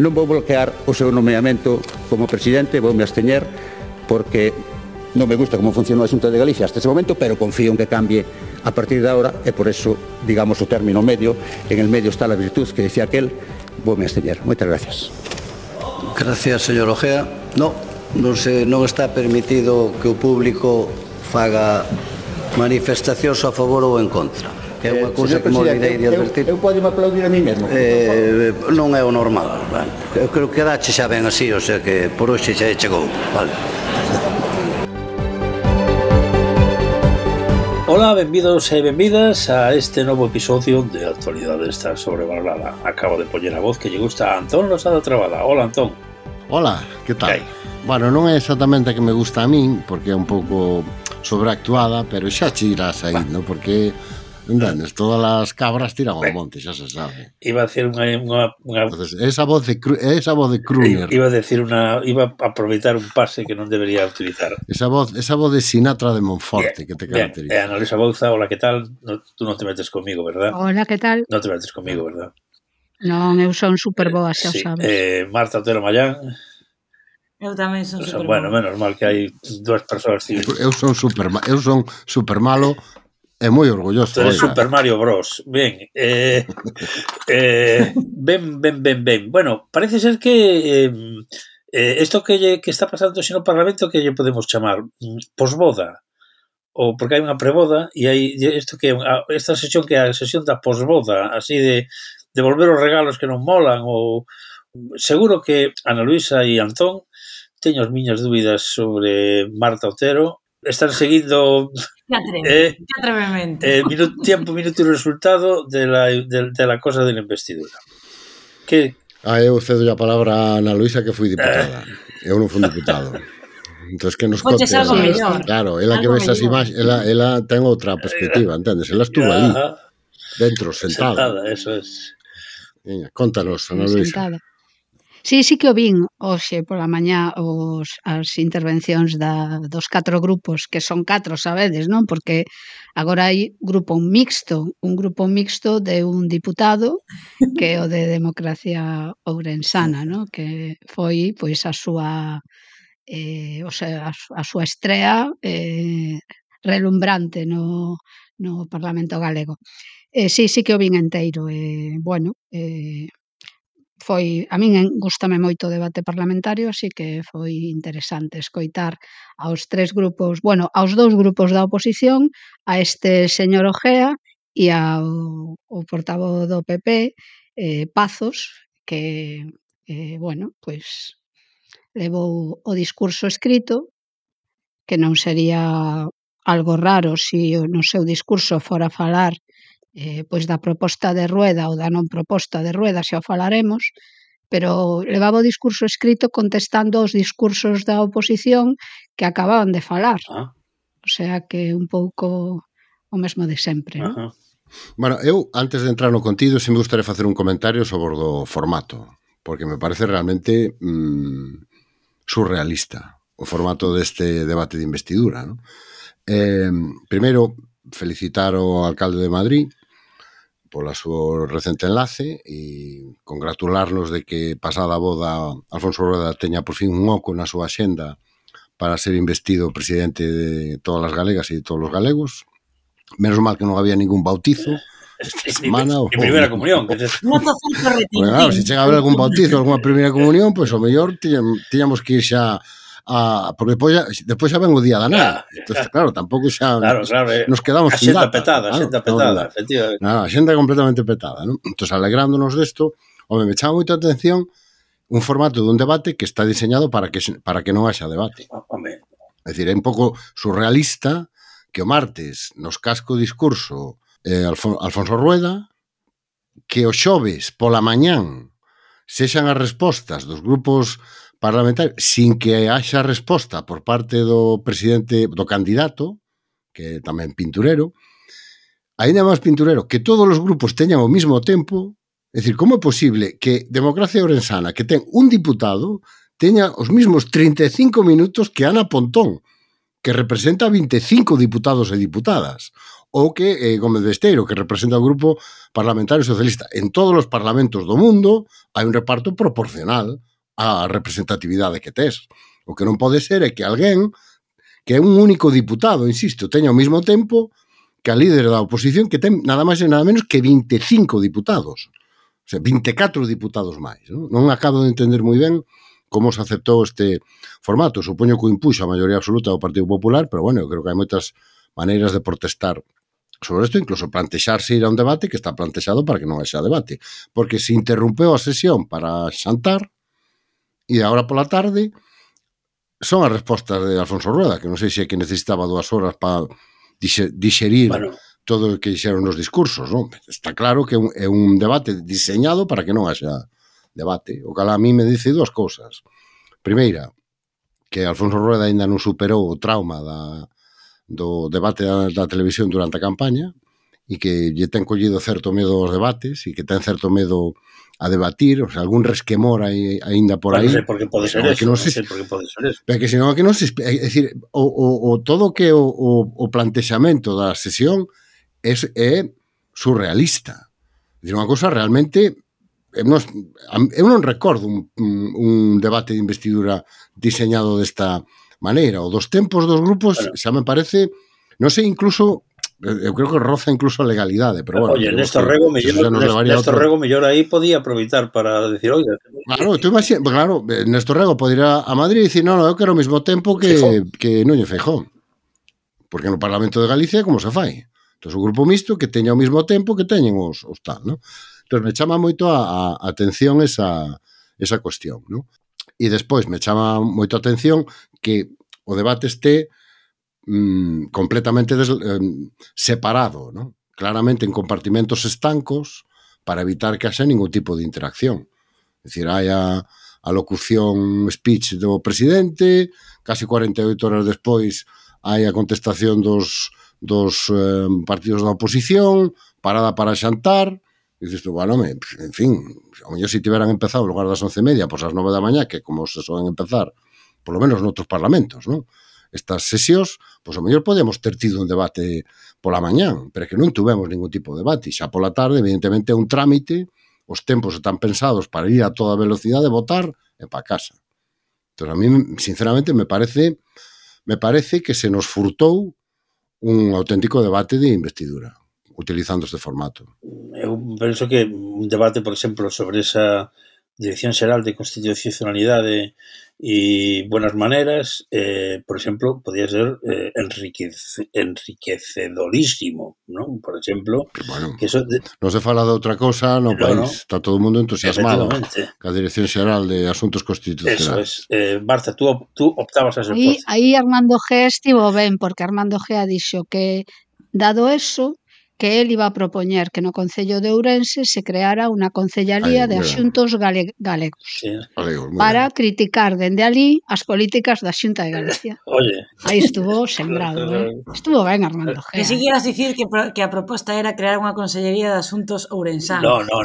non vou bloquear o seu nomeamento como presidente, voume absteñer porque non me gusta como funciona a Xunta de Galicia hasta ese momento, pero confío en que cambie a partir de ahora e por eso, digamos, o término medio, en el medio está la virtud que decía aquel, voume absteñer. Moitas gracias. Gracias, señor Ojea. Non está permitido que o público faga manifestacións a favor ou en contra. É unha cousa que me olvidei de advertir. Eu podo aplaudir a mí mesmo. Non é o normal. Eu creo que dache xa ben así, o sea que por hoxe xa chegou. Vale. Ola, benvidos e benvidas a este novo episodio de Actualidade está sobrevalorada. Acabo de poñer a voz que lle gusta a Antón Losada Trabada. Hola, Antón. Hola, que tal? Bueno, non é exactamente a que me gusta a min, porque é un pouco sobreactuada, pero xa che irás aí, non? Porque, entendes, todas as cabras tiran ao monte, xa se sabe. Iba a decir unha Entonces, esa voz de crooner. Iba a aproveitar un pase que non debería utilizar. Esa voz de Sinatra de Monforte, que te caracteriza. Ana Luisa Bouza, hola, que tal? Tú non te metes comigo, verdad? Hola, que tal? Non te metes comigo, verdad? Non, eu son super boa, xa sabes. Marta Otero Mayán. Eu tamén son super bueno, menos mal que hai dúas persoas civiles. Eu son super malo e moi orgulloso. Tú eres Super Mario Bros. Ben. Ben. Bueno, parece ser que isto que está pasando no Parlamento que lle podemos chamar posboda. Ou porque hai unha preboda e hai isto que esta sesión que é a sesión da posboda, así de devolver os regalos que non molan ou seguro que Ana Luisa e Antón teño as miñas dúbidas sobre Marta Otero. Están seguindo tiempo, minuto e resultado de la cosa de la investidura. Que? Eu cedo a palabra a Ana Luisa que fui diputada. Eu non fui diputado. Entón, que nos conte. Claro, ela que ves as imaxes, ela ten outra perspectiva, entendes? Ela estuvo ali, dentro, sentada. Eso es. Contanos, Ana Luisa. Sí que o vin hoxe pola mañá as intervencións dos 4 grupos, que son 4, sabedes, non? Porque agora hai un grupo mixto de un diputado que é o de Democracia Ourensana, non? Que foi pois a súa estrea relumbrante no Parlamento galego. Sí que o vin enteiro, bueno, a min gústame moito o debate parlamentario, así que foi interesante escoitar aos 3 grupos, bueno, aos 2 grupos da oposición, a este señor Ojea e ao portavoz do PP, Pazos, que, bueno, pois levou o discurso escrito, que non sería algo raro se no seu discurso fora falar pois da proposta de Rueda ou da non proposta de Rueda, xa o falaremos, pero levaba o discurso escrito contestando aos discursos da oposición que acababan de falar. O sea que un pouco o mesmo de sempre, non? Bueno, eu, antes de entrar no contido, me gustaría facer un comentario sobre o formato, porque me parece realmente surrealista o formato deste debate de investidura, non? Primeiro, felicitar ao alcalde de Madrid pola súa recente enlace e congratularnos de que pasada a boda Alfonso Rueda teña por fin un oco na súa axenda para ser investido presidente de todas as galegas e de todos os galegos. Menos mal que non había ningún bautizo esta semana. E primeira comunión. Claro, se chega a haber algún bautizo, alguna primeira comunión, pois o mellor tiñamos que ir xa porque despois xa ven o día da nada. Entón, claro, tampouco xa nos quedamos sin data. A xenda petada, efectivamente. A xenda completamente petada, non? Entón, alegrándonos desto, me chama moita atención un formato dun debate que está diseñado para que non haxa debate. É dicir, é un pouco surrealista que o martes nos casco o discurso Alfonso Rueda, que o xoves pola mañán sexan as respostas dos grupos parlamentarios sin que haxa resposta por parte do presidente, do candidato, que é tamén pinturero, aínda máis pinturero, que todos os grupos teñan ao mesmo tempo. É dicir, como é posible que Democracia Ourensana, que ten un diputado, teña os mesmos 35 minutos que Ana Pontón, que representa 25 diputados e diputadas, ou que Gómez Besteiro, que representa o grupo parlamentario socialista. En todos os parlamentos do mundo hai un reparto proporcional á representatividade que tes. O que non pode ser é que alguén que é un único diputado, insisto, teña ao mesmo tempo que a líder da oposición que ten nada máis e nada menos que 25 diputados. O sea, 24 diputados máis. Non acabo de entender moi ben como se aceptou este formato. Supoño que o impuxo a maioría absoluta do Partido Popular, pero bueno, eu creo que hai moitas maneiras de protestar sobre isto, incluso plantexarse ir a un debate que está plantexado para que non haxa debate. Porque se interrompeu a sesión para xantar e agora pola tarde son as respostas de Alfonso Rueda, que non sei se é que necesitaba 2 horas para digerir todo o que dixeron nos discursos, non? Está claro que é un debate diseñado para que non haxa debate. O que a mí me dice 2 cousas. Primeira, que Alfonso Rueda ainda non superou o trauma do debate da televisión durante a campaña e que lle ten collido certo medo aos debates e que ten certo medo a debatir, o sea, algún resquemor aínda por aí. Non sei por que pode ser eso, non sei por que pode ser eso. Pero que senón que non se... É dicir, todo que o plantexamento da sesión é surrealista. É dicir, unha cosa realmente... Eu non recordo un debate de investidura diseñado desta maneira. O dos tempos dos grupos xa me parece, non sei, incluso eu creo que roza incluso a legalidade, pero bueno. Oye, Néstor Rego mellor aí podía aproveitar para decir, oiga... Claro, tú imaginas, claro, Néstor Rego pode ir a Madrid e dicir, non, eu quero o mesmo tempo que Núñez Feijóo. Porque no Parlamento de Galicia como se fai? Entón, o grupo mixto que teña o mesmo tempo que teñen os tal, non? Entón, me chama moito a atención esa cuestión, non? E despois me chama moito a atención que o debate este completamente separado, ¿no? Claramente en compartimentos estancos para evitar que haxa ningún tipo de interacción. É dicir, hai a locución speech do presidente, casi 48 horas despois hai a contestación dos partidos da oposición, parada para xantar, e dices tú, bueno, en fin, ao mellor se tiveran empezado en lugar das 11:30, pois ás 9 da mañá, que como se soen empezar, por lo menos noutros parlamentos, non? Estas sesións, pois ao mellor podemos ter tido un debate pola mañán, pero que non tuvemos ningún tipo de debate. Xa pola tarde, evidentemente, é un trámite, os tempos están pensados para ir a toda velocidade, votar e para casa. Entón, a mí, sinceramente, me parece que se nos furtou un auténtico debate de investidura, utilizando este formato. Eu penso que un debate, por exemplo, sobre esa Dirección Xeral de Constitucionalidade e Buenas Maneras, por exemplo, podía ser enriquecedorísimo, non? Por exemplo, bueno, que eso non se fala de outra cosa no país, está todo o mundo entusiasmado ca Dirección Xeral de Asuntos Constitucionais. Eso es. Marta, tú optabas a ese posto. Aí Armando G estivo ben, porque Armando G dixo que, dado eso, que él iba a propoñer que no Concello de Ourense se creara unha concellalía de asuntos galegos, para criticar dende ali as políticas da Xunta de Galicia. Oye. Aí estuvo sembrado, Estuvo ben, Armando G. Que si quieras dicir que a proposta era crear unha consellería de asuntos ourensanos. No.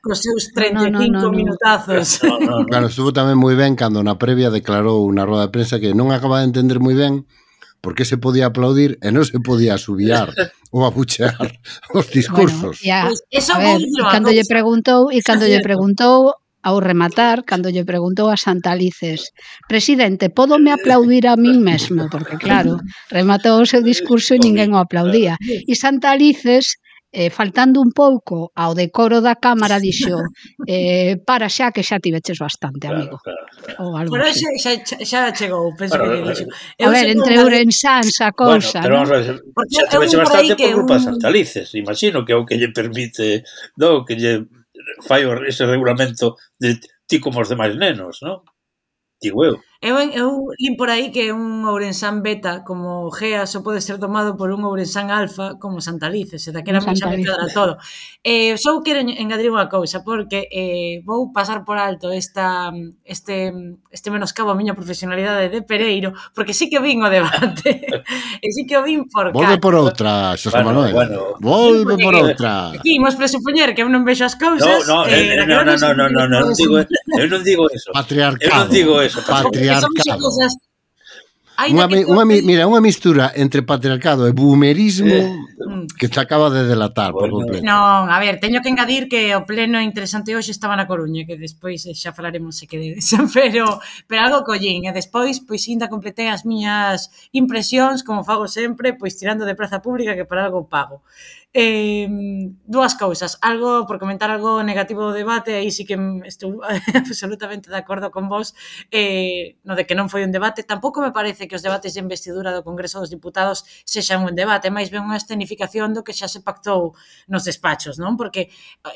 Cos seus 35 minutazos. Claro, estuvo tamén moi ben cando na previa declarou unha roda de prensa que non acaba de entender moi ben por que se podía aplaudir e non se podía asubillar ou abuchear os discursos. Bueno, cando lle preguntou ao rematar, cando lle preguntou a Santalices, presidente, pódome aplaudir a min mesmo? Porque claro, rematou o seu discurso e ninguén o aplaudía. E Santalices, faltando un pouco ao decoro da Cámara, dixo, para xa que xa tiveches bastante, amigo. Ou algo así. Xa chegou, penso que lle dixo. A ver, entre ourensáns a cousa, bueno, pero vamos a ver, xa tiveche bastante por culpa de Santalices. Imagino que é o que lle permite, non, que lle fai ese regulamento de ti como os demais nenos, non? Digo eu. Eu lín por aí que un ourensán beta como Gea só pode ser tomado por un ourensán alfa como Santalices, e daquela xa me cadra todo. Só quero engadir unha cousa, porque vou pasar por alto este menoscabo a miña profesionalidade de Pereiro, porque sí que vin o debate, e sí que o vin por Volve por outra, Xosé Manuel. Volve por outra. Aquí, imos presupoñer que eu non vexo as cousas. No, eu non digo eso. Patriarcado. Eu non digo eso. Son cosas... Mira, unha mistura entre patriarcado e boomerismo que te acaba de delatar por completo. Non, a ver, teño que engadir que o pleno interesante hoxe estaba na Coruña, que despois xa falaremos se queredes, pero algo collín, e despois pois ainda completei as miñas impresións, como fago sempre, pois tirando de praza pública que para algo pago. Dúas cousas, algo por comentar algo negativo do debate, aí sí que estou absolutamente de acordo con vos, no de que non foi un debate. Tampouco me parece que os debates de investidura do Congreso dos Diputados sexan un debate, máis ben unha escenificación do que xa se pactou nos despachos, non? Porque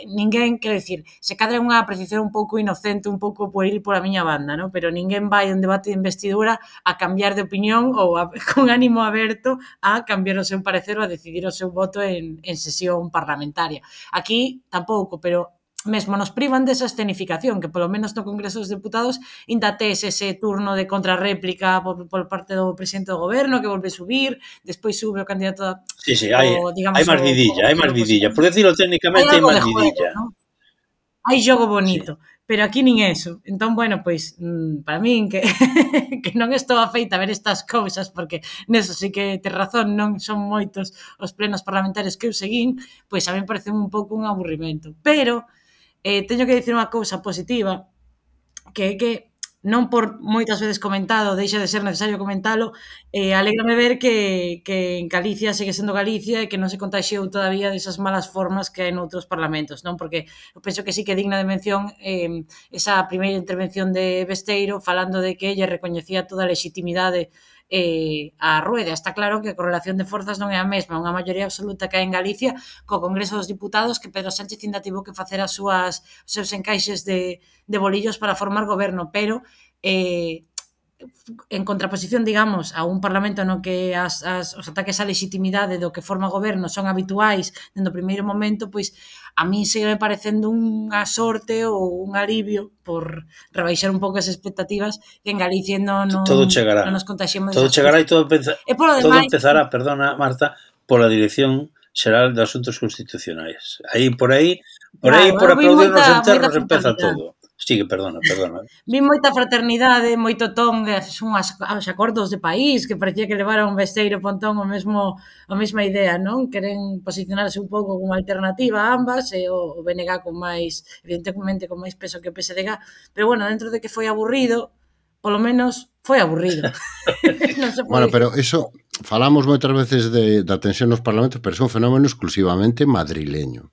ninguén, quero dicir, se cadra unha apreciación un pouco inocente, un pouco pueril por a miña banda, non? Pero ninguén vai a un debate de investidura a cambiar de opinión ou con ánimo aberto a cambiar o seu parecer ou a decidir o seu voto en sesión parlamentaria. Aquí tampouco, pero mesmo nos privan desa escenificación, que polo menos no Congreso dos Deputados ainda tes ese turno de contrarréplica por parte do presidente do goberno, que volve subir, despois sube o candidato a... Sí, hai máis vidilla. Por decirlo técnicamente, hai máis vidilla. Hai xogo bonito. Pero aquí nin eso. Entón, bueno, pois, para min, que non estou afeita a ver estas cousas, porque neso sí que te razón, non son moitos os plenos parlamentarios que eu seguín, pois a mí parece un pouco un aburrimento. Pero teño que dicir unha cousa positiva, que é que non por moitas veces comentado, deixa de ser necesario comentalo, alégrame ver que en Galicia segue sendo Galicia e que non se contaxiou todavía desas malas formas que hai noutros parlamentos, non? Porque eu penso que sí que é digna de mención esa primeira intervención de Besteiro falando de que ella recoñecía toda a legitimidade a Rueda. Está claro que a correlación de forzas non é a mesma, unha maioría absoluta que hai en Galicia co Congreso dos Diputados, que Pedro Sánchez ainda tivo que facer os seus encaixes de bolillos para formar goberno, pero en contraposición, digamos, a un parlamento no que os ataques á legitimidade do que forma goberno son habituais dentro do primeiro momento, pois a mí segue parecendo unha sorte ou un alivio por rebaixar un pouco as expectativas que en Galicia non nos contaxiemos. Todo chegará e todo empezará, perdona, Marta, pola Dirección Xeral de Asuntos Constitucionais. Por aí, por aplaudirnos enterros empeza todo. Sigue, perdona. Vi moita fraternidade, moito ton de os acordos de país, que parecía que levaron Besteiro e Pontón a mesma idea, non? Queren posicionarse un pouco como alternativa a ambas, e o BNG con máis, evidentemente, con máis peso que o PSDG, pero bueno, dentro de que foi aburrido, polo menos foi aburrido. Bueno, pero eso, falamos moitas veces da tensión nos parlamentos, pero é un fenómeno exclusivamente madrileño.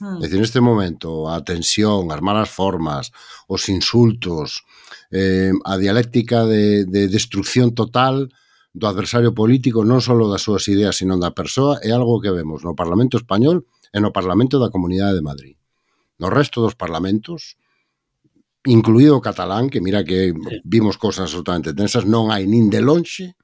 É dicir, neste momento, a tensión, as malas formas, os insultos, a dialéctica de destrucción total do adversario político, non só das súas ideas, sino da persoa, é algo que vemos no Parlamento Español e no Parlamento da Comunidade de Madrid. No resto dos parlamentos, incluído o catalán, que mira que vimos cosas absolutamente tensas, non hai nin de lonxe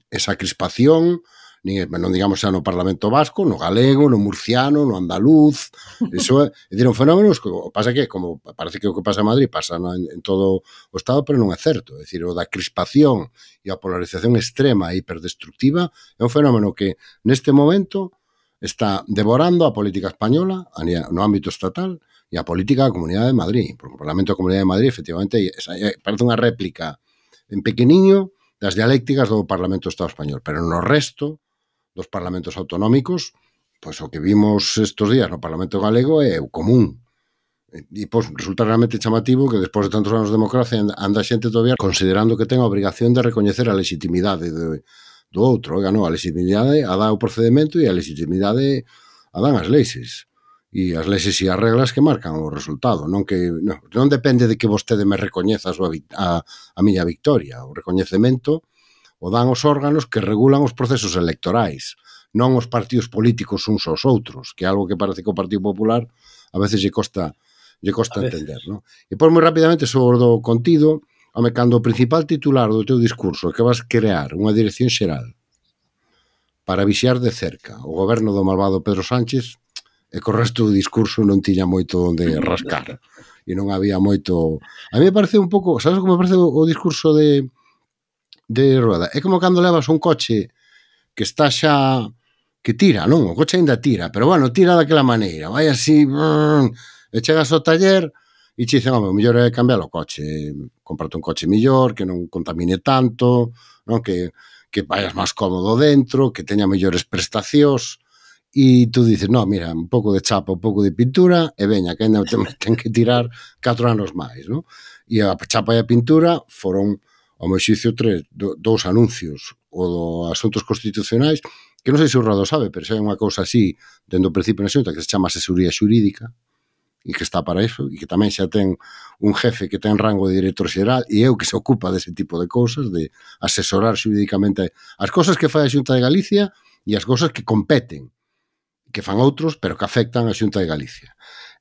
esa crispación, non digamos xa no Parlamento Vasco, no galego, no murciano, no andaluz. Iso é un fenómeno que pasa que, como parece que o que pasa en Madrid pasa en todo o Estado, pero non é certo. É dicir, o da crispación e a polarización extrema e hiperdestructiva é un fenómeno que neste momento está devorando a política española no ámbito estatal e a política da Comunidade de Madrid. Porque o Parlamento da Comunidade de Madrid, efectivamente, parece unha réplica en pequeniño das dialécticas do Parlamento do Estado español, pero no resto dos parlamentos autonómicos, pois o que vimos estes días no Parlamento Galego é o común. E pois resulta realmente chamativo que despois de tantos anos de democracia anda xente todavía considerando que ten a obrigación de recoñecer a legitimidade do outro. Oiga, non, a legitimidade a dá o procedimento e a legitimidade a dan as leixes. E as leixes e as reglas que marcan o resultado. Non depende de que vostede me recoñeza a miña victoria. O recoñecemento o dan os órganos que regulan os procesos electorais, non os partidos políticos uns aos outros, que é algo que parece que o Partido Popular a veces lle costa entender, non? E pois moi rapidamente sobre o contido, cando o principal titular do teu discurso é que vas crear unha dirección xeral para vixiar de cerca o goberno do malvado Pedro Sánchez, e co resto do discurso non tiña moito onde rascar, e non había moito... A mí me parece un pouco, sabes como me parece o discurso de Rueda? É como cando levas un coche que está xa que tira, non? O coche ainda tira, pero bueno, tira daquela maneira, vai así e chegas ao taller e che dicen, o mellor é cambiar o coche, comprarte un coche mellor, que non contamine tanto, non? Que vayas máis cómodo dentro, que teña mellores prestacións, e tú dices, no, mira, un pouco de chapa, un pouco de pintura, e veña, que ainda ten que tirar 4 anos máis, non? E a chapa e a pintura foron, ao meu xicio, 2 anuncios, o do Asuntos Constitucionais, que non sei se o Rado sabe, pero xa é unha cousa así, dentro do principio na Xunta, que se chama asesoría xurídica, e que está para iso, e que tamén xa ten un jefe que ten rango de director xeral, e eu que se ocupa dese tipo de cousas, de asesorar xurídicamente as cousas que fai a Xunta de Galicia e as cousas que competen, que fan outros, pero que afectan a Xunta de Galicia.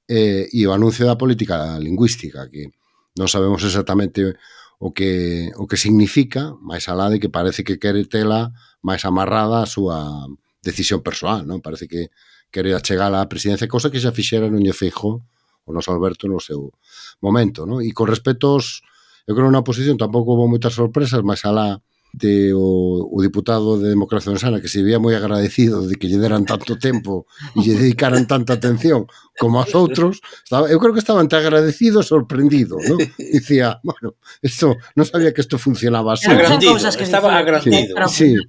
E o anuncio da política lingüística, que non sabemos exactamente o que significa, máis alá de que parece que quere tela máis amarrada a súa decisión persoal, non? Parece que quere achegar á presidencia, cosa que xa fixera Núñez Feijóo, o noso Alberto no seu momento, non? E con respecto aos, eu creo na oposición tampouco houve moitas sorpresas, máis alá de o diputado de Democracia Sana, que se veía moi agradecido de que lle deran tanto tempo e lle dedicaran tanta atención como aos outros, eu creo que estaba entre agradecido e sorprendido, ¿no? Dicía, bueno, esto, non sabía que isto funcionaba así. Estaba agrandido. Sí,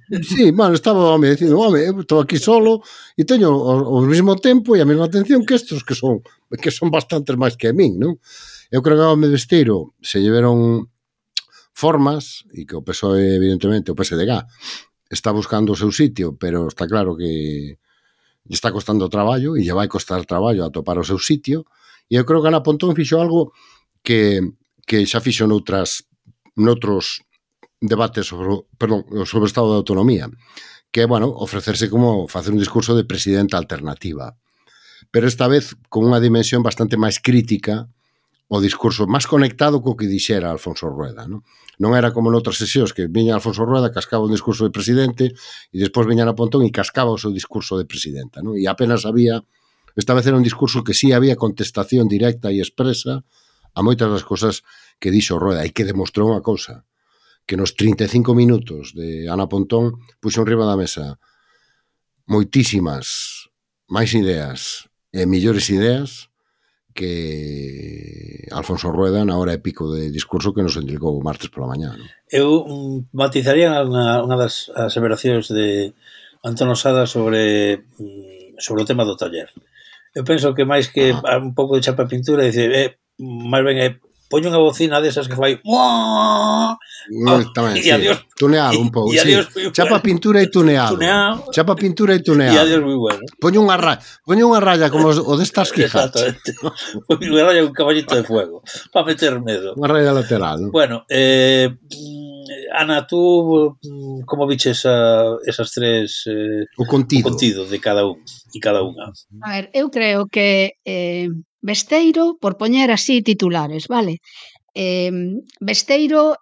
bueno, estaba, home, dicindo, home, eu estou aquí solo e teño o mesmo tempo e a mesma atención que estos que son bastantes máis que a min, non? Eu creo que ao me Besteiro se lleveron formas, e que o PSOE, evidentemente, o PSDG, está buscando o seu sitio, pero está claro que lle está costando traballo, e lle vai costar traballo a topar o seu sitio, e eu creo que Ana Pontón fixo algo que xa fixo noutros debates sobre o Estado de Autonomía, que é, bueno, ofrecerse como facer un discurso de presidenta alternativa, pero esta vez con unha dimensión bastante máis crítica, o discurso máis conectado co que dixera Alfonso Rueda, non? Non era como noutras sesións que viña Alfonso Rueda, cascaba un discurso de presidente e despois viña Ana Pontón e cascaba o seu discurso de presidenta, non? E apenas había, esta vez era un discurso que sí había contestación directa e expresa a moitas das cosas que dixo Rueda e que demostrou unha cousa, que nos 35 minutos de Ana Pontón puxo enriba da mesa moitísimas máis ideas e mellores ideas que Alfonso Rueda na hora e pico de discurso que nos entregou o martes pola mañá. Non? Eu matizaría unha das aseveracións de Antón Osada sobre o tema do taller. Eu penso que máis que un pouco de chapa pintura, dice, máis ben é poño unha bocina desas que fai tamén, sí. Tuneado un pouco, sí. Chapa pintura e tuneado. Chapa pintura e tuneado. E adiós moi bueno. Poño unha raya como o destas Quijote. Exactamente. Poño unha raya un caballito de fuego para meter medo. Unha raya lateral, ¿no? Bueno, Ana, tú como viches esas tres o contido de cada un e cada unha? A ver, eu creo que Besteiro, por poñer así titulares, vale? Besteiro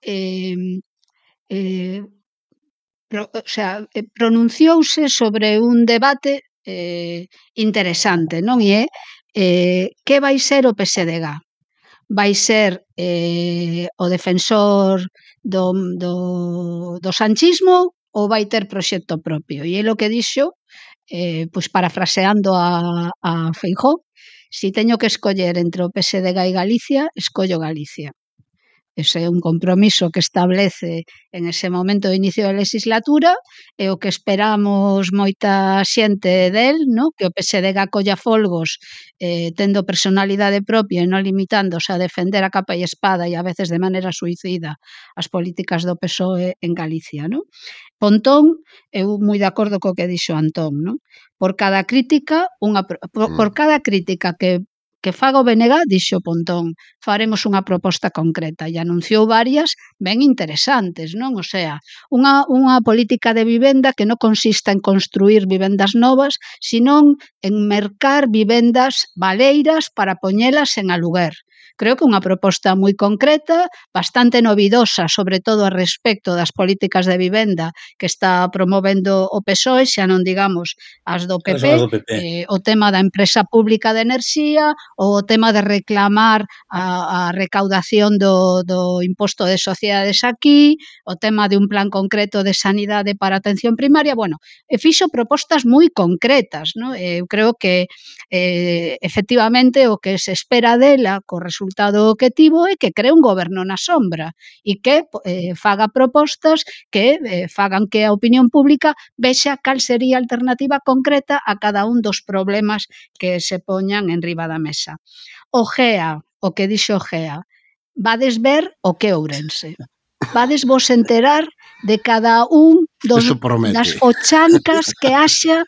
pronunciouse sobre un debate interesante, non? E que vai ser o PSDG? Vai ser o defensor do sanchismo ou vai ter proxecto propio? E é o que dixo, pois parafraseando a Feijóo, si teño que escoller entre o PSDG e Galicia, escollo Galicia. Ese é un compromiso que establece en ese momento de inicio da legislatura e o que esperamos moita xente del, no? Que o PSDG colla folgos tendo personalidade propia e non limitándose a defender a capa e espada e a veces de maneira suicida as políticas do PSOE en Galicia, no? Pontón, eu moi de acordo co que dixo Antón, non? Por cada crítica que faga o BNG, dixo Pontón, faremos unha proposta concreta e anunciou varias ben interesantes, non? O sea, unha política de vivenda que non consista en construir vivendas novas, senón en mercar vivendas baleiras para poñelas en aluguer. Creo que unha proposta moi concreta, bastante novidosa, sobre todo a respecto das políticas de vivenda que está promovendo o PSOE, xa non digamos as do PP, o tema da empresa pública de enerxía, o tema de reclamar a recaudación do imposto de sociedades aquí, o tema de un plan concreto de sanidade para atención primaria, bueno, fixo propostas moi concretas, non? Eu creo que efectivamente o que se espera dela co resultado resultado que tivo é que cree un goberno na sombra e que faga propostas que fagan que a opinión pública vexa cal sería a alternativa concreta a cada un dos problemas que se poñan en riba da mesa. O que dixo Gea, vades ver o que Ourense. Vades vos enterar de cada un das fochancas que haxa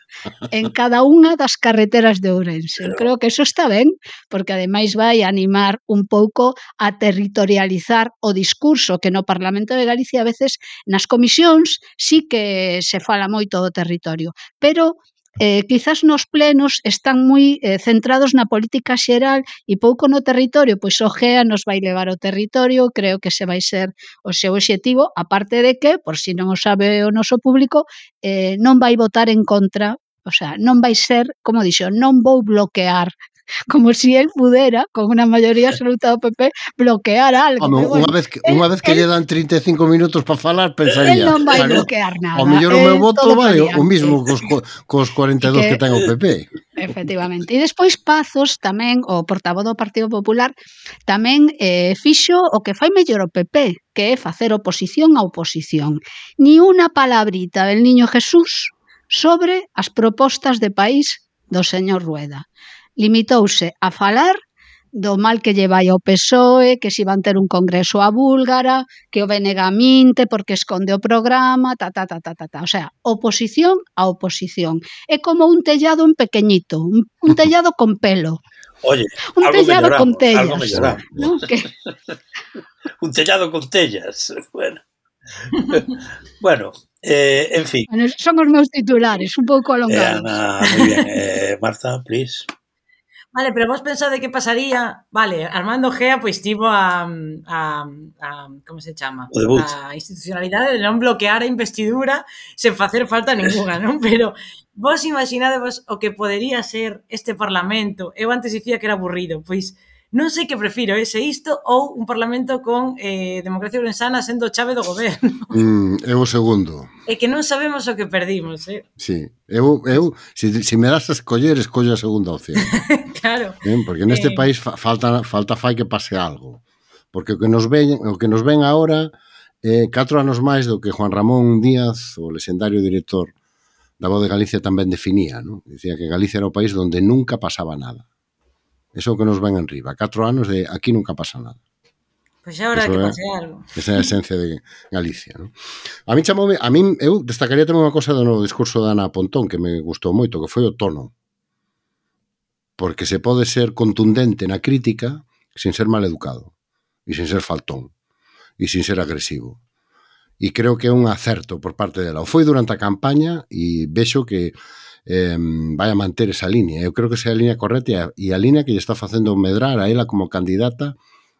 en cada unha das carreteras de Ourense. Creo que eso está ben, porque ademais vai animar un pouco a territorializar o discurso, que no Parlamento de Galicia a veces nas comisións sí que se fala moito do territorio, pero quizás nos plenos están moi centrados na política xeral e pouco no territorio, pois o GEA nos vai levar ao territorio, creo que ese vai ser o seu obxectivo, aparte de que, por si non o sabe o noso público, non vai votar en contra, o sea, non vai ser, como dixo, non vou bloquear, como si él pudera, con unha maioría absoluta do PP, bloquear algo. Home, bueno, unha vez que lle dan 35 minutos para falar, pensaría... Él non vai bloquear nada. Ao mellor o meu voto vale o mismo cos 42 que ten o PP. Efectivamente. E despois Pazos tamén, o portavoz do Partido Popular, tamén fixo o que fai mellor o PP, que é facer oposición á oposición. Ni unha palabrita del Niño Jesús sobre as propostas de país do señor Rueda. Limitouse a falar do mal que lle vai ao PSOE, que si van ter un congreso a búlgara, que o BNG minte porque esconde o programa, O sea, oposición a oposición. É como un tellado en pequeñito, un tellado con pelo. Oye, un tellado con tellas. Algo melloramos. ¿No? Un tellado con tellas. Bueno, en fin. Bueno, son os meus titulares, un pouco alongados. Ana, moi bien. Marta, please. Vale, pero vos pensade que pasaría... Vale, Armando Gea pois tivo a como se chama? A institucionalidade de non bloquear a investidura sen facer falta ninguna, non? Pero vos imaginadevos o que podería ser este Parlamento. Eu antes dicía que era aburrido, pois non sei que prefiro, se isto ou un Parlamento con democracia ourensana sendo chave do goberno. É o segundo. É que non sabemos o que perdimos, Sí, eu se me das a escollo a segunda opción. Claro. Porque neste país falta fai que pase algo. Porque o que nos ven agora 4 anos máis do que Juan Ramón Díaz, o lexendario director da Voz de Galicia, tamén definía, non? Dicía que Galicia era o país donde nunca pasaba nada. Eso que nos ven en riba. 4 anos de aquí nunca pasa nada. Pois é hora de que pase algo. Esa é a esencia de Galicia, non? Eu destacaría tamén unha cosa do novo discurso de Ana Pontón que me gustou moito, que foi o tono. Porque se pode ser contundente na crítica sin ser maleducado e sin ser faltón e sin ser agresivo. E creo que é un acerto por parte dela. O foi durante a campaña e vexo que vai a manter esa línea. Eu creo que esa é a línea correcta e a línea que lle está facendo medrar a ela como candidata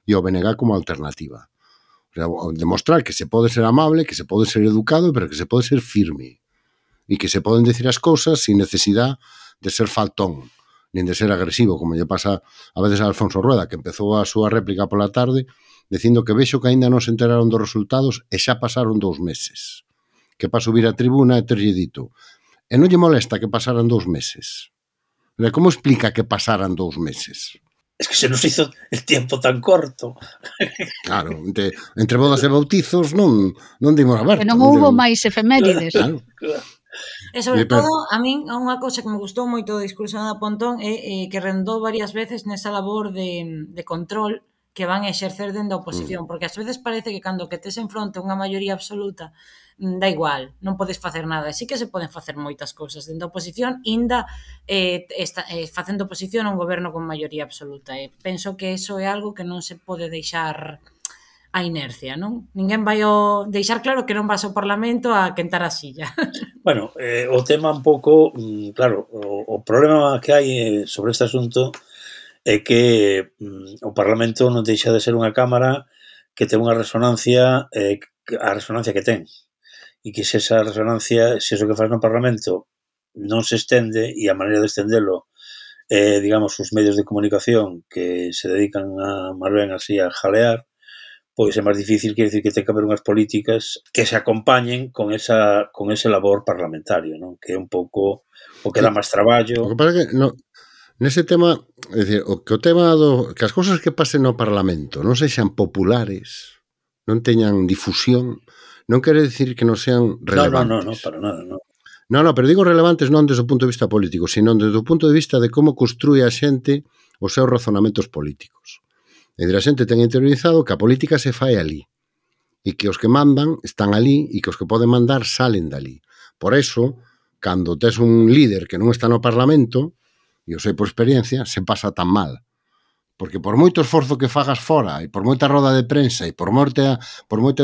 e ao BNG como alternativa. O sea, demostrar que se pode ser amable, que se pode ser educado, pero que se pode ser firme e que se poden decir as cousas sin necesidade de ser faltón nin de ser agresivo, como lle pasa a veces a Alfonso Rueda, que empezou a súa réplica pola tarde dicindo que vexo que aínda non se enteraron dos resultados e xa pasaron 2 meses. Que para subir a tribuna e terlle dito e non lle molesta que pasaran 2 meses. Como explica que pasaran 2 meses? Es que se nos hizo el tiempo tan corto. Claro, entre bodas e bautizos non dimos a ver. Que non houbo máis efemérides. Claro. E sobre todo, a min, unha cousa que me gustou moito do discurso de Ana Pontón é que rendou varias veces nesa labor de control que van a exercer dende a oposición, porque ás veces parece que cando que tes en fronte unha maioría absoluta da igual, non podes facer nada. Sí que se poden facer moitas cousas dende a oposición, inda facendo oposición a un goberno con maioría absoluta. Penso que eso é algo que non se pode deixar a inercia, non? Ninguén vai deixar claro que non vas ao Parlamento a quentar a silla. Bueno, o tema un pouco, claro, o problema que hai sobre este asunto é que o Parlamento non deixa de ser unha cámara que ten unha resonancia, a resonancia que ten. E que se esa resonancia, se eso que faz no Parlamento non se estende, e a maneira de estendelo digamos, os medios de comunicación que se dedican a máis ben así a jalear, pois é máis difícil, quer dicir que ten que haber unhas políticas que se acompañen con ese labor parlamentario, non? Que é un pouco o que dá máis traballo. O que pasa é que Nese tema, é dicir, o tema que as cousas que pasen no Parlamento non sexan populares, non teñan difusión, non quere dicir que non sean relevantes. No, para nada, non. No, pero digo relevantes non desde o punto de vista político, sino desde o punto de vista de como construye a xente os seus razonamentos políticos. É dicir, a xente ten interiorizado que a política se fai ali, e que os que mandan están ali, e que os que poden mandar salen dali. Por eso, cando tes un líder que non está no Parlamento, e eu sei por experiencia, se pasa tan mal. Porque por moito esforzo que fagas fora, e por moita roda de prensa, e por moita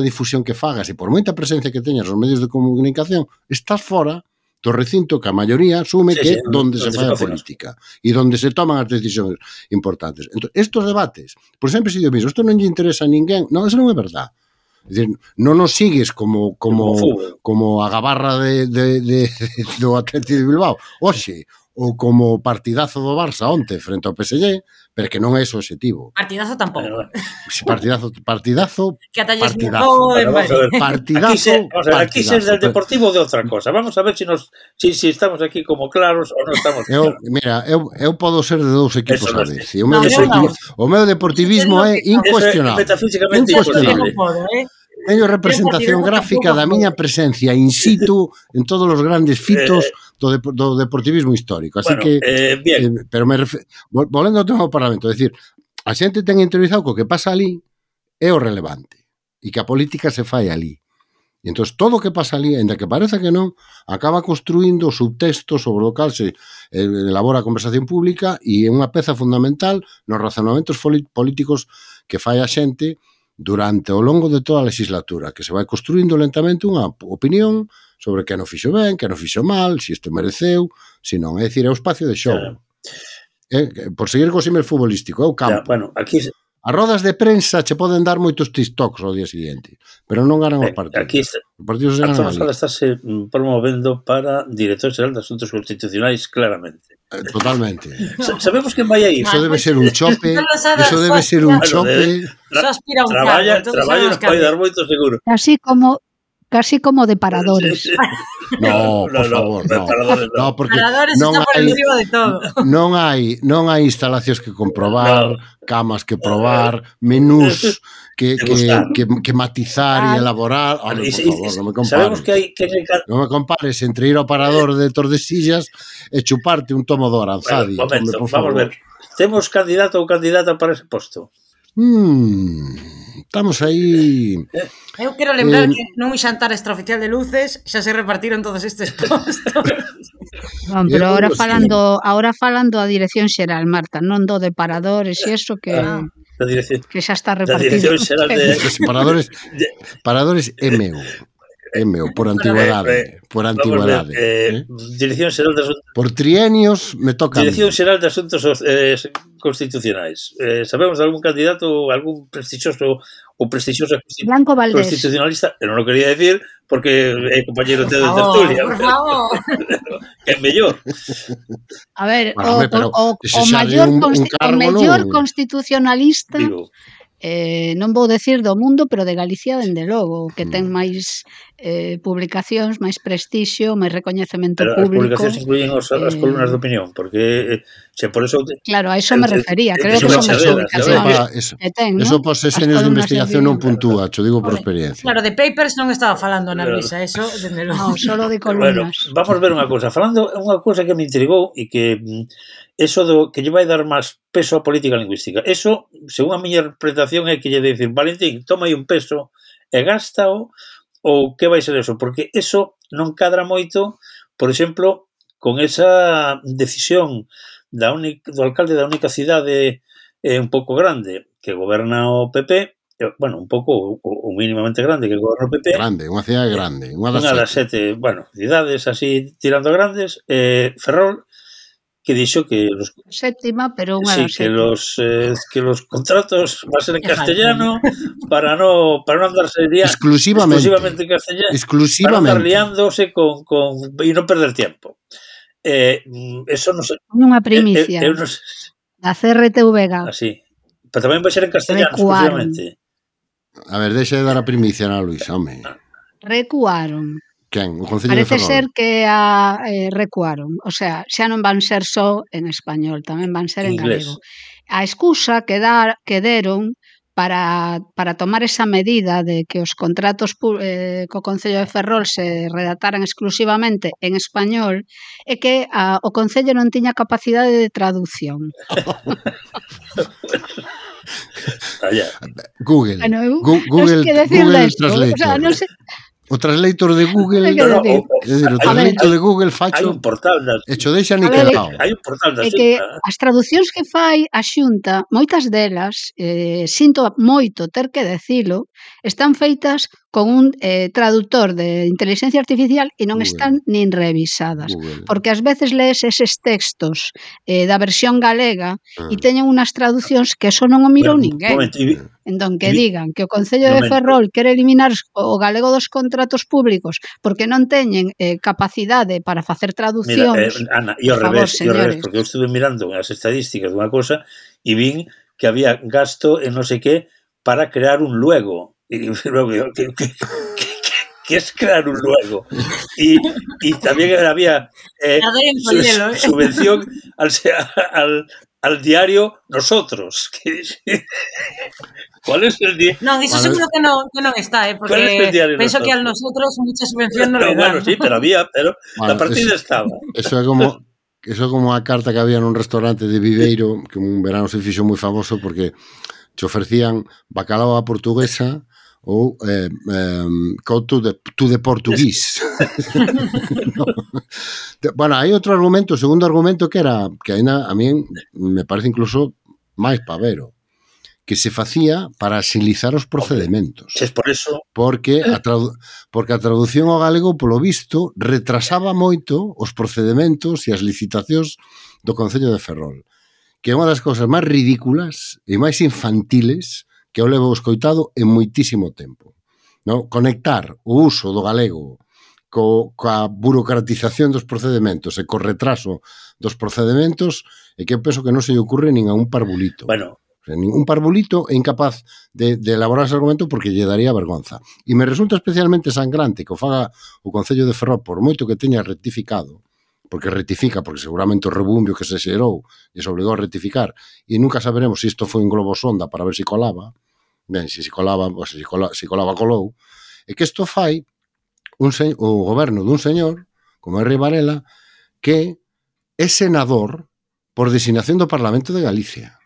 difusión que fagas, e por moita presencia que teñas nos medios de comunicación, estás fora do recinto que a maioría asume que é onde se fai a política e onde se toman as decisións importantes. Entón, estos debates, por sempre se dio mismo, isto non lle interesa a ninguén, non, eso non é verdade. É dicir, non nos sigues como a gabarra do Atlético de Bilbao, oxe, ou como partidazo do Barça onte frente ao PSG, pero que non é ese o objetivo. Partidazo tampouco. Partidazo. Que ata lles mojou en Partidazo. Aquí se es del Deportivo de outra cosa. Vamos a ver si estamos aquí como claros ou non estamos claros. Mira, eu podo ser de dous equipos a vez. O meu deportivismo é incuestionable. Metafísicamente incuestionable. Teño representación gráfica da miña presencia in situ en todos os grandes fitos do deportivismo histórico. Así que, pero volvendo ao tema do Parlamento, é dicir, a xente ten interiorizado que o que pasa ali é o relevante e que a política se fai ali. E entón, todo o que pasa ali, ainda que parece que non, acaba construindo subtextos sobre o cal se elabora a conversación pública e é unha peza fundamental nos razonamentos políticos que fai a xente durante o longo de toda a legislatura, que se vai construindo lentamente unha opinión sobre que non fixo ben, que non fixo mal, se isto mereceu, se non. É dicir, é o espacio de xogo. Por seguir co símil futbolístico, é o campo. As rodas de prensa che poden dar moitos TikToks ao día seguinte, pero non ganan os partidos. Aquí a Sala estáse promovendo para director xeral de Asuntos Constitucionais, claramente. Totalmente. Sabemos que vai a ir. Eso debe ser un chope. Eso debe ser un chope. Traballo nos vai dar moito seguro. Casi como de paradores. No, por favor, no, porque paradores está por encima de todo. Non hai instalacións que comprobar, camas que probar, menús que matizar e elaborar. Por favor, non me compares. Non me compares entre ir ao parador de Tordesillas e chuparte un tomo do Aranzadi. Momento, vamos ver. Temos candidato ou candidata para ese posto? Estamos aí. Eu quero lembrar que nun xantar extraoficial de luces xa se repartiron todos estes postos. Non, pero ahora falando a dirección xeral, Marta, non do de paradores e eso que xa está repartido. Paradores é meu, por antigüedade. Dirección Xeral de Asuntos... Por trienios me toca. Dirección Xeral de Asuntos Constitucionais. Sabemos de algún candidato, algún prestigioso Blanco Valdés constitucionalista? Eu non o quería decir porque é compañero de tertulia. Por favor. É mellor. A ver, o mellor constitucionalista... non vou decir do mundo, pero de Galicia, dende logo, que ten máis publicacións, máis prestixio, máis recoñecemento público. As publicacións incluyen as columnas de opinión, porque por eso... Claro, a eso me refería, creo que son as publicacións que ten, non? Eso por sesiones de investigación non puntúa, cho digo por experiencia. Claro, de papers non estaba falando Ana Luisa, eso, dende logo. Non, solo de columnas. Vamos a ver unha cousa, falando unha cousa que me intrigou e que... Eso do que lle vai dar máis peso á política lingüística. Eso, según a miña interpretación, é que lle dicir, Valentín, toma aí un peso e gástao, ou que vai ser eso? Porque eso non cadra moito, por exemplo, con esa decisión do alcalde da única cidade un pouco grande que goberna o PP, bueno, un pouco ou mínimamente grande que goberna o PP. Grande, unha cidade grande. Unha das sete, cidades así tirando grandes, Ferrol, que dixo que séptima, pero unha das que los contratos van a ser en castellano para non andarse exclusivamente en castellano, para non andar liándose e non perder tiempo. Eso non sei. Unha primicia da CRTVG. Así. Pero tamén vai ser en castellano exclusivamente. A ver, deixa de dar a primicia, Ana Luisa, home. Recuaron. Quen? O Concello de Parece Ferrol? ser que recuaron, o sea, xa non van ser só en español, tamén van ser en galego. A excusa que deron para tomar esa medida de que os contratos co Concello de Ferrol se redactaran exclusivamente en español é que o Concello non tiña capacidade de traducción. Google. Bueno, Google Translator. O sea, non sei. O translator de Google, o translator de Google facho. Hai un portal das... E cho deixa ni quedado. Hai un portal da Xunta. É que as traducións que fai a Xunta, moitas delas, sinto moito ter que decilo, están feitas con un traductor de inteligencia artificial e non están nin revisadas. Porque ás veces lees eses textos da versión galega e teñen unhas traducións que eso non o mirou ninguén. Entón, que digan que o Concello de Ferrol quere eliminar o galego dos contratos públicos porque non teñen capacidade para facer traducións. Mira, Ana, e ao revés, porque eu estuve mirando as estadísticas dunha cosa e vin que había gasto en non sei que para crear un luego. E luego, que es crear un luego? Y también había subvención al diario Nosotros. ¿Cuál es el diario? No, eso seguro que non está, porque penso que al Nosotros mucha subvención non le dan. Bueno, sí, pero había, pero la partida estaba. Eso é como a carta que había nun restaurante de Viveiro, que un verano se fixo moi famoso porque te ofrecían bacalao a portuguesa ou couto de portuguís. No. Bueno, hai outro argumento, o segundo argumento que era, que ainda a mí me parece incluso máis pavero, que se facía para agilizar os procedementos. Es por eso. Porque a traducción ao galego, polo visto, retrasaba moito os procedementos e as licitacións do Concello de Ferrol, que é unha das cousas máis ridículas e máis infantiles que eu levo escoitado en moitísimo tempo. No? Conectar o uso do galego coa burocratización dos procedementos e co retraso dos procedementos é que eu penso que non se lle ocurre nin a un parvulito. Bueno, ningún parvulito é incapaz de elaborar ese argumento porque lle daría vergonza. E me resulta especialmente sangrante que o faga o Concello de Ferrol, por moito que teña rectificado, porque rectifica, porque seguramente o rebumbio que se xerou e se obligou a rectificar, e nunca saberemos se isto foi un globo sonda para ver se colaba, ben, se colaba, colou, e que isto fai o goberno dun señor, como é Rei Varela, que é senador por designación do Parlamento de Galicia.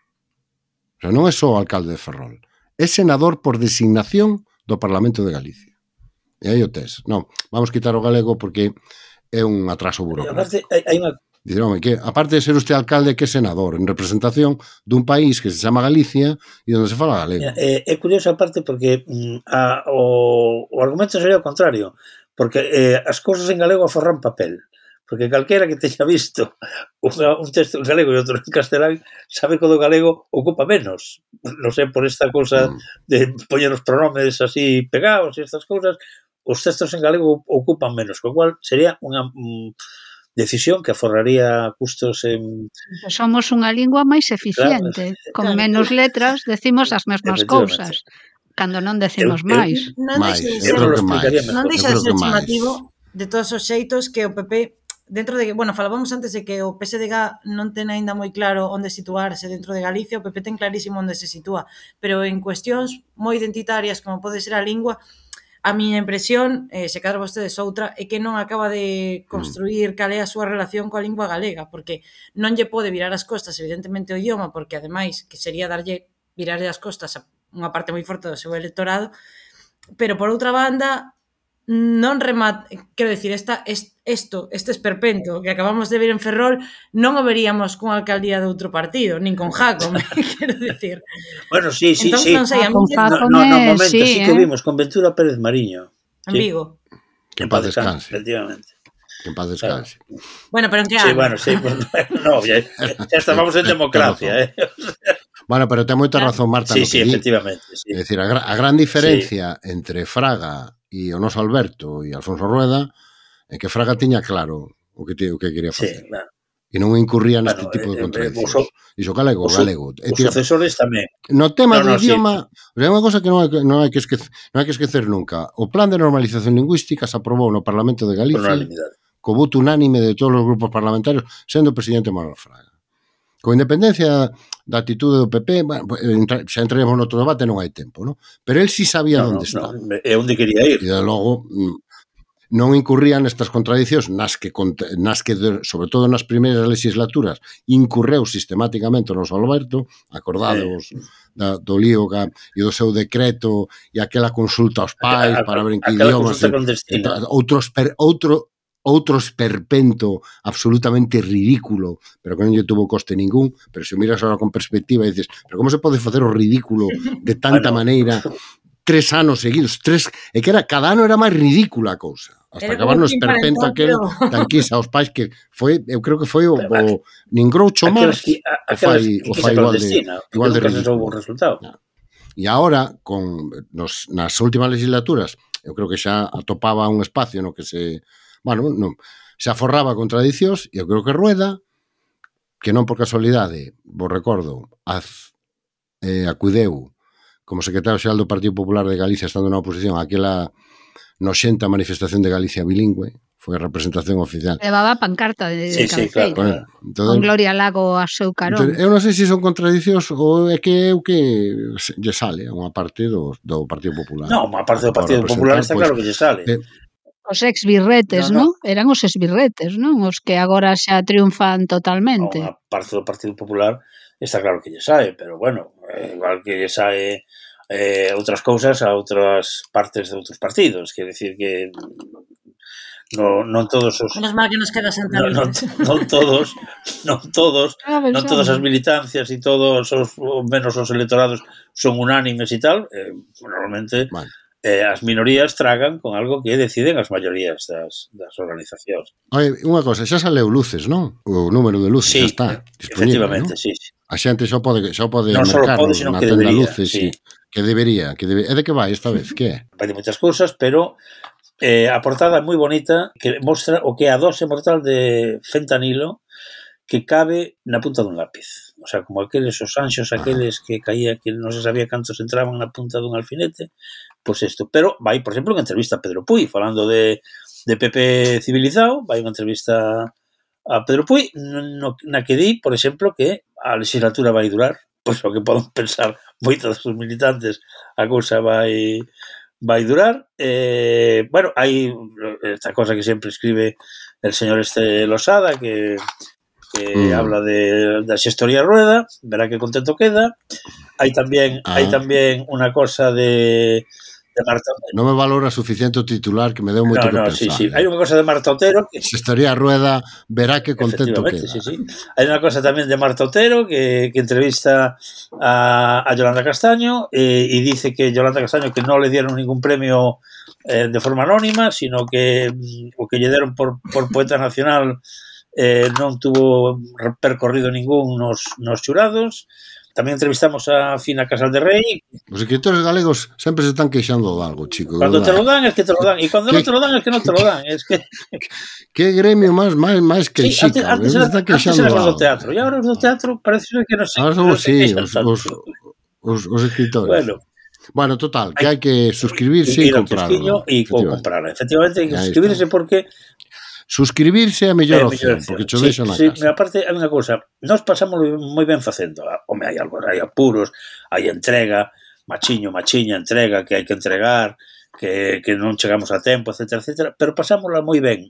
O sea, non é só o alcalde de Ferrol, é senador por designación do Parlamento de Galicia. E aí o tes. Non, vamos quitar o galego porque é un atraso burocrático. Dicir, home, que aparte de ser usted alcalde, que é senador en representación dun país que se chama Galicia e onde se fala galego. É curioso aparte porque o argumento sería o contrario, porque as cousas en galego aforran papel. Porque calquera que teña visto un texto en galego e outro en castelán sabe que o do galego ocupa menos. Non sei, por esta cousa de poñer os pronomes así pegados e estas cousas, os textos en galego ocupan menos, co cual sería unha decisión que aforraría custos en... Somos unha lingua máis eficiente, con menos letras decimos as mesmas cousas, cando non decimos máis. Non deixa de ser chamativo de todos os xeitos que o PP... Dentro de que, bueno, falábamos antes de que o PSDG non ten aínda moi claro onde situarse dentro de Galicia, o PP ten clarísimo onde se sitúa, pero en cuestións moi identitarias como pode ser a lingua, a miña impresión, se cadra vostedes outra, é que non acaba de construir cal é a súa relación coa lingua galega, porque non lle pode virar as costas, evidentemente, o idioma, porque ademais, que sería virarlle as costas a unha parte moi forte do seu electorado, pero por outra banda, non remata, quero dicir, este esperpento que acabamos de ver en Ferrol non o veríamos con alcaldía de outro partido, nin con Jácome, quero dicir. Bueno, sí. Entón, non sei, a mí... No, momento, sí que vimos con Ventura Pérez Mariño. En Vigo. Que en paz descanse. Efectivamente. Que en paz descanse. Bueno, pero en que ano? Sí, bueno, sí. No, ya estamos en democracia, Bueno, pero ten moita razón, Marta. Sí, efectivamente. É dicir, a gran diferencia entre Fraga e o noso Alberto e Alfonso Rueda é que Fraga tiña claro o que quería facer. Sí, claro. e non incurría neste tipo de contradiccións. Iso galego. Os sucesores tamén. No tema do idioma, é unha cosa que non hai que esquecer nunca. O plan de normalización lingüística se aprobou no Parlamento de Galicia co voto unánime de todos os grupos parlamentarios, sendo o presidente Manuel Fraga. Con independencia da atitude do PP, xa entraremos no outro debate, non hai tempo, non? Pero el sí sabía onde está. É onde quería ir. E, de logo, non incurrían nestas contradicións nas que, sobre todo nas primeiras legislaturas, incurreu sistemáticamente o noso Alberto, acordados do lío e do seu decreto e aquela consulta aos pais para ver en que idiomas, outro esperpento absolutamente ridículo, pero que non lle tuvo coste ningún. Pero se miras agora con perspectiva e dices, pero como se pode facer o ridículo de tanta maneira 3 anos seguidos, e que era, cada ano era máis ridícula a cousa, hasta acabar no esperpento aquel tanquisa aos pais, que foi, eu creo que foi o nin Groucho Marx o fai igual de ridículo. E agora, nas últimas legislaturas, eu creo que xa atopaba un espacio no que se aforraba contradicións, e eu creo que Rueda, que non por casualidade, vos recordo, acudeu como secretario xeral do Partido Popular de Galicia, estando na oposición, aquela noxenta manifestación de Galicia bilingüe, foi a representación oficial. Levaba pancarta de cabeceira. Claro. Con Gloria Lago a seu carón. Eu non sei se son contradicións ou é que lle sale a unha parte do Partido Popular. Non, unha parte do Partido Popular está claro que lle sale. Os exbirretes, non? Eran os exbirretes, non? Os que agora xa triunfan totalmente. Unha parte do Partido Popular está claro que lle sae, pero bueno, igual que lle sae outras cousas a outras partes de outros partidos, quer decir que non todos os... Menos mal que nos queda Santalices. Non todas as militancias e todos os, menos os electorados son unánimes e tal, normalmente... as minorías tragan con algo que deciden as maiorías das organizacións. Unha cosa, xa saleu luces, non? O número de luces xa está disponible, efectivamente, sí. A xente xa pode mercar na tenda luces, que debería. É de que vai esta vez? Que é? Vai de moitas cousas, pero a portada é moi bonita, que mostra o que é a dose mortal de fentanilo que cabe na punta dun lápiz. O sea, como aqueles os anxos, aqueles que caía, que non se sabía cantos entraban na punta dun alfinete, pois isto. Pero vai, por exemplo, unha entrevista a Pedro Puy, falando de PP civilizado, vai unha entrevista a Pedro Puy, na que di, por exemplo, que a legislatura vai durar, pois o que poden pensar moitos dos militantes, a cousa vai durar. Bueno, hai esta cosa que sempre escribe el señor Losada, que habla da xestoría Rueda, verá que contento queda. Hai tamén unha cosa de Marta Otero. Non me valora suficiente o titular, que me deu moito que pensar. Sí. Hai unha cosa de Marta Otero que... Xestoría Rueda, verá que contento queda. Sí. Hai unha cosa tamén de Marta Otero que entrevista a Yolanda Castaño e dice que Yolanda Castaño que non le dieron ningún premio de forma anónima, sino que o que lle deron por poeta nacional non tuvo percorrido ningún nos xurados. Tamén entrevistamos a Fina Casal de Rei. Os escritores galegos sempre se están queixando de algo, chico. Cando te lo dan, es que te lo dan. E cando non te lo dan, es que non te lo dan. Que gremio máis queixica. Antes era os do teatro. E agora os do teatro parece que non sei. Os escritores. Bueno, total, que hai que suscribirse e comprarlo. E comprarla. Efectivamente, hai que suscribirse porque... Suscribirse é a mellor opción, porque cho deixo na casa. Sí, aparte, hai unha cousa, nós pasamos moi ben facendo. Home, hai apuros, hai entrega, machiña, entrega, que hai que entregar, que non chegamos a tempo, etcétera, pero pasámosla moi ben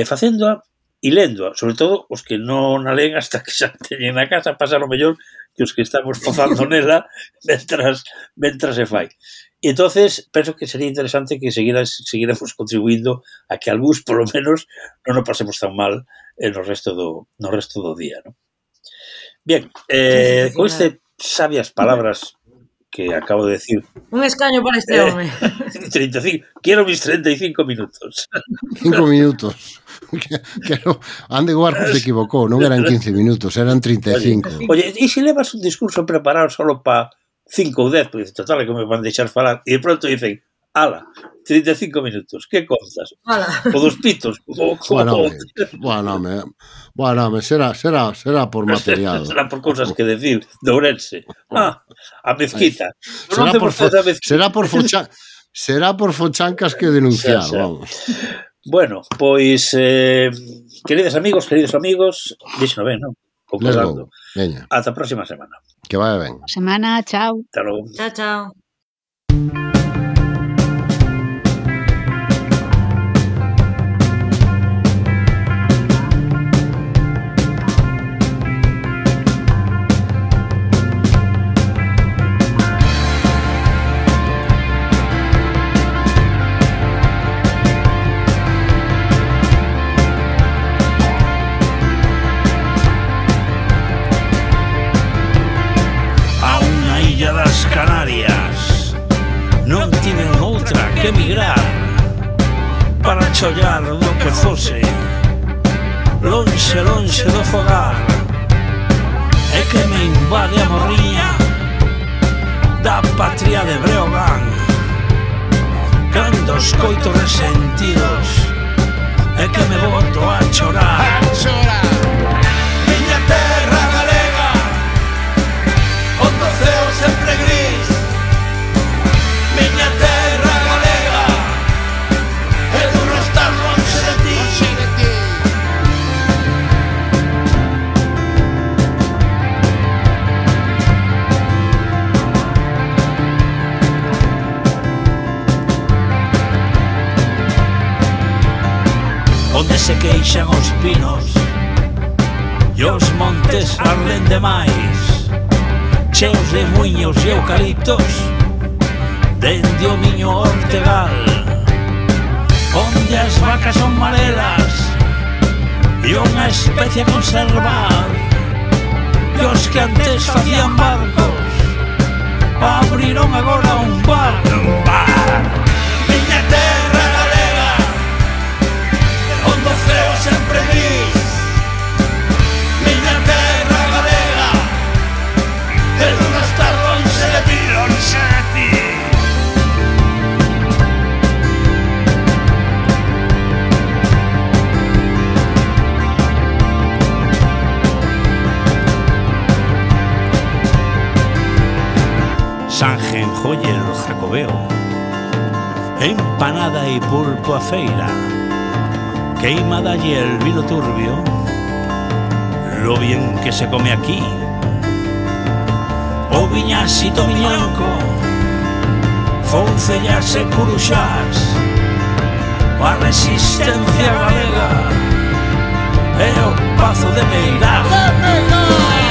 facéndoa e léndoa, sobre todo os que non a leen hasta que xa teñen na casa, pasan o mellor que os que estamos fozando nela mentras se fai. E entonces penso que sería interesante que seguiremos contribuindo a que algúns, por lo menos, non nos pasemos tan mal no resto do día, ¿no? Bien, con este sabias palabras que acabo de decir... Un escaño para este home. 35, quiero mis 35 minutos. 5 minutos. Ande Guarco se equivocou, non eran 15 minutos, eran 35. Oye, e se levas un discurso preparado solo para 5 ou 10, porque total é que me van deixar falar, e de pronto dicen, Ala, 35 minutos, que contas? O dos pitos? Bueno, será por material. Será por cousas que decir, de Ourense. A mezquita. Será por fochancas que denunciar, vamos. Bueno, pois, queridos amigos, díxeno ben, non? Ata a próxima semana. Que vaya ben. Semana, chao. Hasta logo. Chao. Canarias non tiven outra que emigrar para chollar do que fose lonxe do fogar e que me invade a morriña da patria de Breogán cando escoito resentidos e que me boto a chorar miña terra galega onde o ceo sempre gris miña terra galega e duro estar lonxe de ti onde se queixan os pinos e os montes arden demais cheos de muiños e eucaliptos dende o miño Ortegal onde as vacas son marelas e unha especie a conservar e os que antes facían barcos abriron agora un bar miña terra galega onde o ceo sempre gris miña terra galega e non estar lonxe de ti Sanjenjoyer Jacobeo empanada e pulpo a feira queimada y el vino turbio lo bien que se come aquí o viñasito miñanco foncellas e curuxás a resistencia galega e o pazo de Meirás